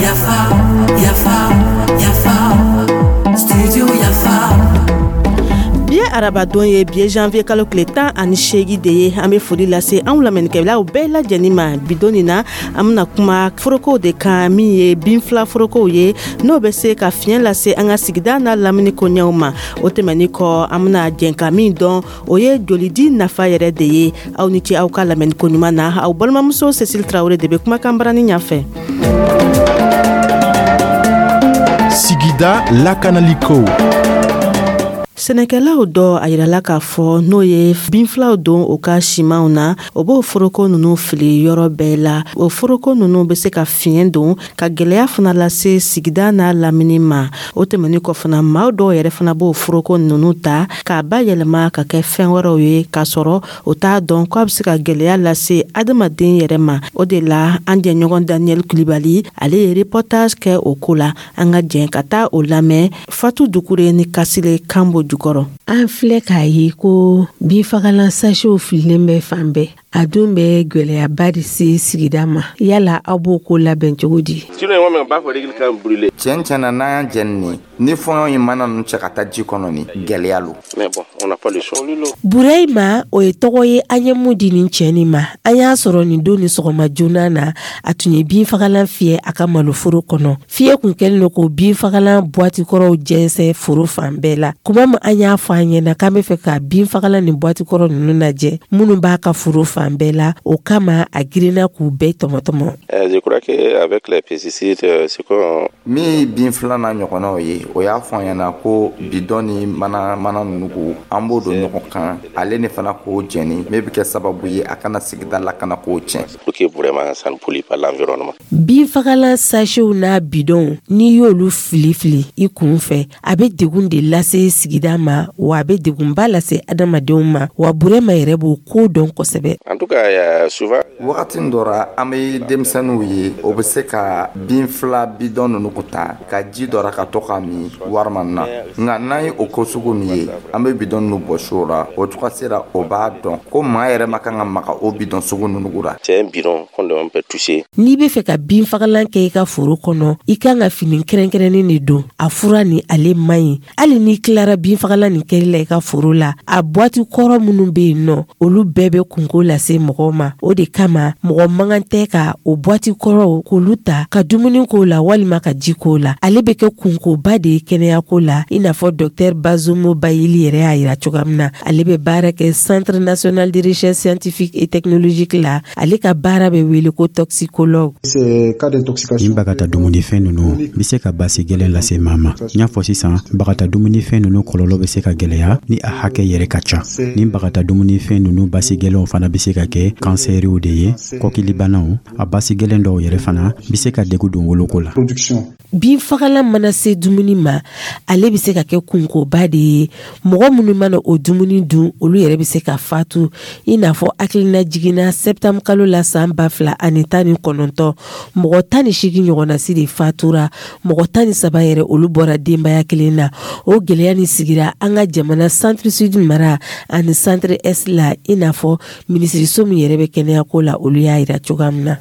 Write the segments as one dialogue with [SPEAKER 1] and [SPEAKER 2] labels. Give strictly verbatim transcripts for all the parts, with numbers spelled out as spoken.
[SPEAKER 1] Yafa, Yafa, Yafa, Studio Yafa.
[SPEAKER 2] Bi ye arabadon ye, bi ye janvier kalo tile tan ani seegin de ye. An bɛ foli lase anw lamɛnnikɛlaw bɛɛ lajɛlen ma. Bidon nin na, an bɛna kuma forokow de kan, min ye binfila forokow ye, n'o bɛ se ka fiɲɛ lase an ka sigida n'a lamini koɲɛw ma. O tɛmɛnin kɔ, an bɛna jɛn ka min dɔn, o ye jolidi nafa yɛrɛ de ye. Aw ni ce aw ka lamɛnni koɲuman na. Aw balimamuso Cécile Traoré de bɛ kumakan barani ɲɛfɛ.
[SPEAKER 3] Sigida lakanaliko.
[SPEAKER 2] Sɛnɛkɛlaw dɔ a yirala k'a fɔ n'o ye binfilaw don u ka simanw na, o b'o foroko nunu fili yɔrɔ bɛɛ la. O foroko nunu bɛ se ka fiɲɛ don ka gwɛlɛya fana lase sigida n'a lamini ma. O tɛmɛnin kɔ fana, maa dɔw yɛrɛ fana b'o foroko nunu ta k'a bayɛlɛma ka kɛ fɛn wɛrɛw ye, k'a sɔrɔ o t'a dɔn k'a bɛ se ka gwɛlɛya lase adamaden yɛrɛ ma. O de la, an jɛɲɔgɔn Daniel Kulibali, ale ye reportage kɛ o ko la. An ka jɛn ka taa o lamɛn Fatu Dukure ni Kasile Kanbo jukɔrɔ.
[SPEAKER 4] An filɛ k'a ye ko binfagalan sachetw fililen bɛ fan bɛɛ. A dun bɛ gwɛlɛyaba de se sigida ma. Yala aw b'o ko labɛn cogo di?
[SPEAKER 5] Tiɲɛ tiɲɛ na, n'an y'an jɛni nin ni fɔɲɔ ye mana ninnu cɛ ka taa ji kɔnɔ, ni gɛlɛya lo.
[SPEAKER 4] Burahima, o ye tɔgɔ ye an ye mun di nin cɛ nin ma. An y'a sɔrɔ nin don ni sɔgɔma joona na, a tun ye binfagalan fiyɛ a ka maloforo kɔnɔ. Fiɲɛ kun kɛlen don k'o binfagalan buwati kɔrɔw jɛnsɛn foro fan bɛɛ la. Kuma min an y'a fɔ an ɲɛna k'an bɛ fɛ ka binfagalan ni buwati kɔrɔ ninnu lajɛ minnu b'a ka foro fan bɛɛ la, o kama a girinna k'u bɛɛ tɔmɔtɔmɔ.
[SPEAKER 5] Min ye bin filanan ɲɔgɔnnaw ye, o y'a fɔ an ɲɛna ko bidɔn ni mana mana ninnu ko an b'o don ɲɔgɔn kan, ale ni fana k'o jɛni, min bɛ kɛ sababu ye a kana sigida lakana k'o tiɲɛ.
[SPEAKER 4] Binfagalan sachetw n'a bidɔnw, n'i y'olu fili fili i kun fɛ, a bɛ degun de lase sigida ma, wa a bɛ degunba lase adamadenw ma. Wa Burema yɛrɛ b'o ko dɔn kosɛbɛ.
[SPEAKER 5] Wagati dɔ ra, an bɛ denmisɛnninw ye, o bɛ se ka bin fila bidɔn ninnu ko ta ka ji dɔ ra ka to ka min warima na. Nka n'an ye o ko sugu nin ye, an bɛ bidɔn ninnu bɔsi o la. O cogo sera, o b'a dɔn ko maa yɛrɛ ma kan ka maga o bidɔn sugu ninnu la.
[SPEAKER 4] N'i bɛ fɛ ka binfagalan kɛ i ka foro kɔnɔ, i kan ka fini kɛrɛnkɛrɛnnen de don. A fura ni ale man ɲi. Hali n'i tilara binfagalan nin kɛli la i ka foro la, a buwati kɔrɔ minnu bɛ yen nɔ, olu bɛɛ bɛ kunko lase mɔgɔw ma. O de kama, mɔgɔ man kan tɛ ka o buwati kɔrɔw k'olu ta ka dumuni k'o la walima ka ji k'o la. Ale bɛ kɛ kunkoba de ye kɛnɛyako la, i n'a fɔ docteur Bazomo Bayili yɛrɛ y'a yira cogoya min na. Ale bɛ baara kɛ Centre national de recherche scientifique et technologique la. Ale ka baara bɛ wele ko toxicologue.
[SPEAKER 6] Nin bagata dumunifɛn ninnu bɛ se ka basi gɛlɛn lase maa ma. N y'a fɔ sisan, bagata dumunifɛn ninnu kɔlɔlɔ bɛ se ka gɛlɛya ni a hakɛ yɛrɛ ka ca. Nin bagata dumunifɛn ninnu basi gɛlɛnw fana bɛ se ka kɛ kansɛriw de ye, kɔkilibanaw. A basi gɛlɛn dɔw yɛrɛ fana bɛ se ka degun don woloko la.
[SPEAKER 4] Binfagalan mana se dumuni ma, ale bɛ se ka kɛ kunkoba de ye. Mɔgɔ minnu mana o dumuni dun, olu yɛrɛ bɛ se ka fatu, i n'a fɔ hakilina jiginna septembre kalo la san ba fila ani tan ni kɔnɔntɔn, mɔgɔ tan ni seegin ɲɔgɔnna si de fatura. Mɔgɔ tan ni saba yɛrɛ, olu bɔra denbaya kelen na. O gɛlɛya nin sigira an ka jamana Centre Sud mara ani Centre Est la, i n'a fɔ minisiriso min yɛrɛ bɛ kɛnɛyako la, olu y'a yira cogoya min na.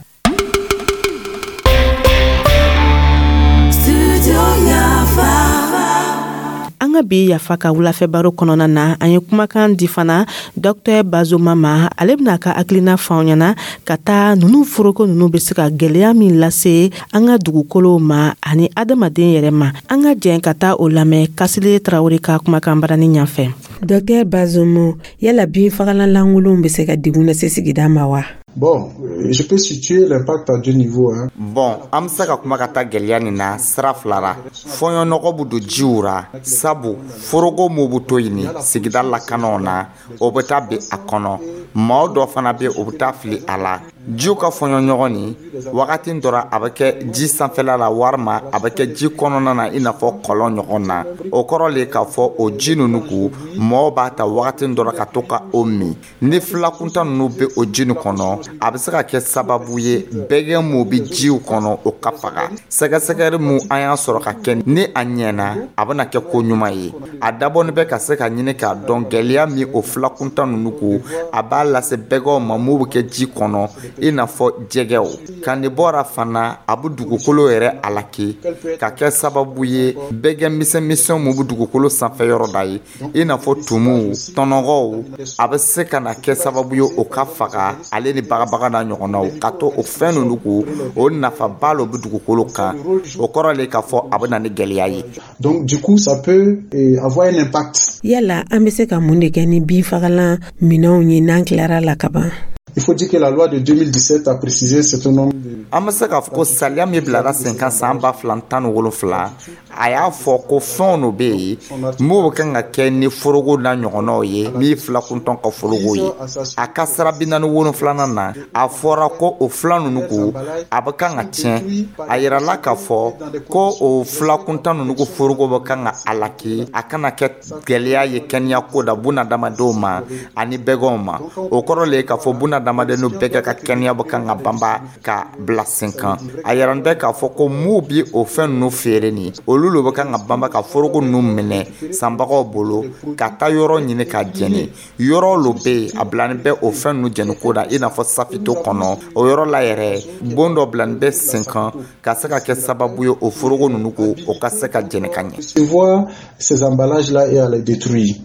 [SPEAKER 2] An ka bi Yafa ka wulafɛ baro kɔnɔna na, an ye kumakan di fana docteur Bazoma ma. Ale bɛna ka hakilina fɔ an ɲɛna ka taa nunu foroko nunu bɛ se ka gɛlɛya min lase an ka dugukolow ma ani adamaden yɛrɛ ma. An ka jɛn ka taa o lamɛn Kasile Tarawele ka kumakan barani ɲɛfɛ.
[SPEAKER 4] Docteur Bazomo, yala binfagalan lankolonw bɛ se ka degun lase sigida ma wa?
[SPEAKER 7] Bon, je peux situer l'impact à deux niveaux. Hein.
[SPEAKER 5] Bon, an bɛ se ka kuma ka taa gɛlɛya nin na sira fila ra. Fɔɲɔnɔgɔ bɛ don jiw ra, sabu foroko mun bɛ to yen sigida lakanaw na, o bɛ taa bin a kɔnɔ. Maa dɔ fana bɛ, o bɛ taa fili a la. Jiw ka fɔɲɔ ɲɔgɔn ni wagati dɔ a bɛ kɛ ji sanfɛla la, walima a bɛ kɛ ji kɔnɔna na, i n'a fɔ kɔlɔn ɲɔgɔn na. O kɔrɔ le k'a fɔ o ji ninnu ko mɔgɔw b'a ta wagati dɔ ka to ka o min. Ni filakuntan ninnu bɛ o ji nin kɔnɔ, a bɛ se ka kɛ sababu ye bɛgɛ mun bɛ jiw kɔnɔ, o ka faga. Sɛgɛsɛgɛli mun an y'a sɔrɔ ka kɛ, ni a ɲɛna, a bɛna kɛ ko ɲuman ye. A dabɔnin bɛ ka se ka ɲini k'a dɔn gɛlɛya min o filakuntan ninnu ko a b'a lase bɛgɛw ma mun bɛ kɛ ji kɔnɔ, i n'a fɔ jɛgɛw ka nin bɔra fana. A bɛ dugukolo yɛrɛ alaki ka kɛ sababu ye bɛgɛ misɛnmisɛn mun bɛ dugukolo sanfɛ yɔrɔ da ye, i n'a fɔ tumuw, tɔnɔgɔw, a bɛ se ka na kɛ sababu ye o ka faga, ale ni bagabaga n'a ɲɔgɔnnaw, ka to o fɛn ninnu ko o nafaba lo bɛ dugukolo kan. O kɔrɔ le k'a fɔ a bɛ na ni gɛlɛya ye.
[SPEAKER 7] Donc du coup, ça peut eh, avoir un impact.
[SPEAKER 4] Yala an bɛ se ka mun de kɛ ni binfagalan minɛnw ye n'an tilara la ka ban?
[SPEAKER 7] Il faut dire que la loi de deux mille dix-sept a précisé un certain nombre de
[SPEAKER 5] An bɛ se k'a fɔ ko sariya min bilara sen kan san ba fila tan ni wolonfila, a y'a fɔ ko fɛnw de bɛ yen mun bɛ kan ka kɛ ni foroko n'a ɲɔgɔnnaw ye, min ye filakuntɔn ka foroko ye. A ka sira bi naani wolonfilanan na, a fɔra ko o fila ninnu ko a bɛ kan ka tiɲɛ. A yirala k'a fɔ ko o filakuntan ninnu ko foroko bɛ kan ka alaki, a kana kɛ gɛlɛya ye kɛnɛya ko da bunadamadenw ma ani bɛgɛnw ma. O kɔrɔ le ye k'a fɔ bunadamaden n'u bɛɛ ka kɛnɛya bɛ kan ka banba ka bila sen kan. A yɛrɛ bɛ k'a fɔ ko mun bi o fɛn ninnu feere nin, olu le bɛ kan ka banba ka foroko ninnu minɛ sanbagaw bolo ka taa yɔrɔ ɲini ka jɛni. Yɔrɔ lo bɛ yen a bilanin bɛ o fɛn ninnu jɛni ko la, i n'a fɔ safito kɔnɔ. O yɔrɔ la yɛrɛ, bon dɔ bilanin bɛ sen kan ka se ka kɛ sababu ye o foroko ninnu ko o ka se ka jɛni ka ɲɛ.
[SPEAKER 7] Tu vois ces emballages-là et à les détruire.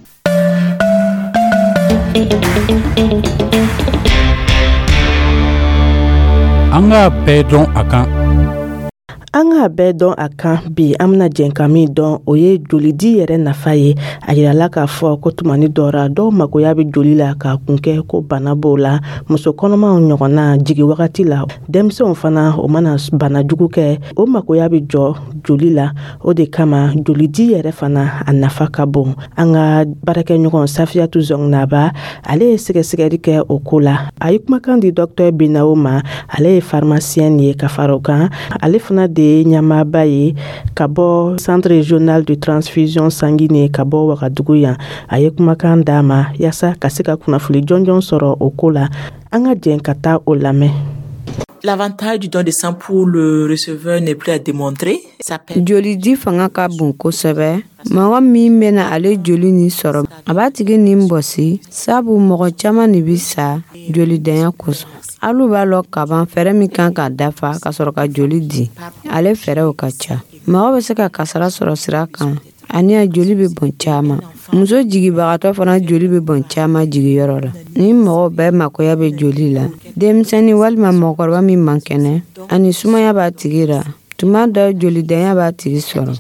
[SPEAKER 8] An k'a bɛɛ dɔn a kan.
[SPEAKER 2] An k'a bɛɛ dɔn a kan. Bi, an bena jɛn ka min dɔn, o ye jolidi yɛrɛ nafa ye. A yirala k'a fɔ ko tumani dɔra dɔw magoya bɛ joli la k'a kun kɛ ko bana b'o la, muso kɔnɔmaw ɲɔgɔnna jigi wagati la, denmisɛnw fana, o mana bana jugu kɛ, o magoya bɛ jɔ joli la. O de kama jolidi yɛrɛ fana a nafa ka bon. An ka baarakɛɲɔgɔn Safiyatu Zɔngnaba, ale ye sɛgɛsɛgɛli kɛ o ko la. A ye kumakan di Dɔktɛr Binawo ma. Ale ye pharmacien ye, ka fara o kan, ale fana de ye ɲɛmaaba ye ka bɔ Centre régional de transfusion sanguine ka bɔ Wagadugu yan. A ye kumakan d'a ma yaasa ka se ka kunnafoni jɔnjɔn sɔrɔ o ko la. An ka jɛn ka taa o lamɛn.
[SPEAKER 9] L'avantage du don de sang pour le receveur n'est plus à démontrer. Ça permet
[SPEAKER 10] Jolidi fanga ka bon kosɛbɛ. Mɔgɔ min bena ale joli nin sɔrɔ, a b'a tigi nin bɔsi, sabu mɔgɔ caaman de bi sa jolidanya kosɔn. Alu b'a lɔn kaban fɛɛrɛ min kan ka dafa ka sɔrɔ ka joli di, ale fɛɛrɛw ka ca. Mɔgɔ bɛ se ka kasara sɔrɔ sira kan, ani a joli bɛ bɔn caaman. Muso jigibagatɔ fana joli bɛ bɔn caaman jigiyɔrɔ la. Ni mɔgɔw bɛɛ makoya bɛ joli la, denmisɛnnin walima mɔgɔkɔrɔba min man kɛnɛ ani sumaya b'a tigi ra, tuma dɔ jolidanya b'a tigi sɔrɔ.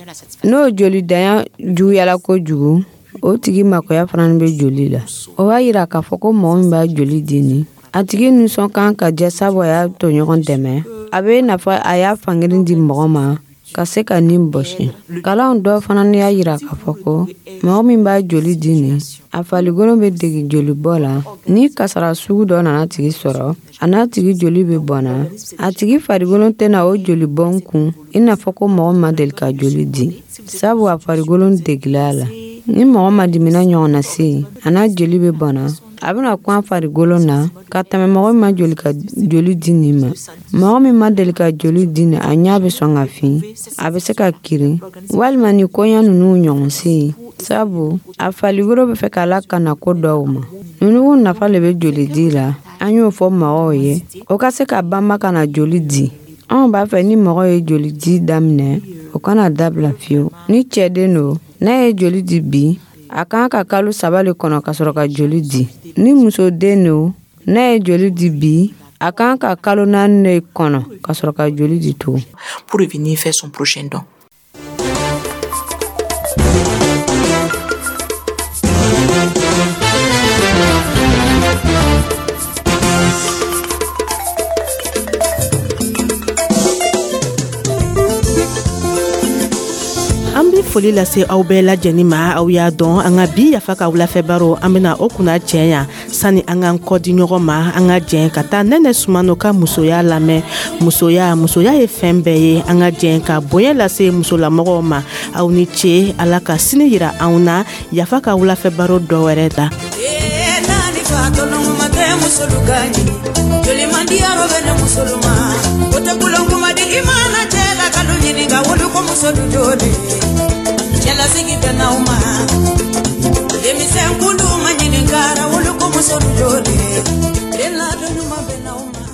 [SPEAKER 10] N'o jolidanya juguyala kojugu, o tigi makoya fana bɛ joli la. O b'a yira k'a fɔ ko mɔgɔ min b'a joli di ni a tigi nisɔn kan ka jɛ, sabu a y'a tɔɲɔgɔn dɛmɛ. A bɛ n'a fɔ a y'a fankelen di mɔgɔ ma ka se ka nin bɔsi. Kalanw dɔ fana y'a yira k'a fɔ ko mɔgɔ min b'a joli di nin, a farikolo bɛ degi jolibɔ la. Ni kasara sugu dɔ nana tigi sɔrɔ, a n'a tigi joli bɛ bɔnna, a tigi farikolo tɛna o jolibɔn kun i n'a fɔ ko mɔgɔ ma deli ka joli di, sabu a farikolo degila a la. Ni mɔgɔ ma dimina ɲɔgɔn na se, a n'a joli bɛ bɔnna, a bɛna kun a farikolo na ka tɛmɛ mɔgɔ min ma joli ka joli di nin ma. Mɔgɔ min ma deli ka joli di nin, a ɲɛ bɛ sɔn ka fin, a bɛ se ka kirin walima ni koɲa ninnu ɲɔgɔn se, sabu a farikolo bɛ fɛ k'a lakana ko dɔw ma. Ninnu nafa le bɛ joli di la. An y'o fɔ mɔgɔw ye, o ka se ka banba ka na joli di. Anw b'a fɛ ni mɔgɔ ye joli di daminɛ, o kana dabila fiyewu. Ni cɛden don, n'a ye joli di bi, a kan ka kalo saba le kɔnɔ ka sɔrɔ ka joli di. Ni musoden don, n'a ye joli di bi, a kan ka kalo naani de kɔnɔ ka sɔrɔ ka joli di tugun.
[SPEAKER 9] Pour revenir faire son prochain don.
[SPEAKER 2] An bi Foli lase aw bɛɛ lajɛlen ma. Aw y'a dɔn, an ka bi Yafa ka wulafɛ baro, an bena o kunna cɛ yan. Sani an k'an kɔdi ɲɔgɔn ma, an ka jɛn ka taa Nɛnɛ Sumano ka musoya lamɛn. Musoya, musoya ye fɛn bɛɛ ye. An ka jɛn ka bonya lase musolamɔgɔw ma. Aw ni ce. Ala ka sini yira anw na Yafa ka wulafɛ baro dɔ wɛrɛ la.
[SPEAKER 1] Musolu ka ɲini joli man di yɔrɔ bɛ ne musolu ma, o tɛ kulonkuma di. I mana cɛ la kalo ɲininka, wolu ko musolu joli cɛlasigi bɛ n'aw ma. Denmisɛn kulu ma ɲininkara, wolu ko musolu joli den ladon ɲuman bɛ n'aw ma.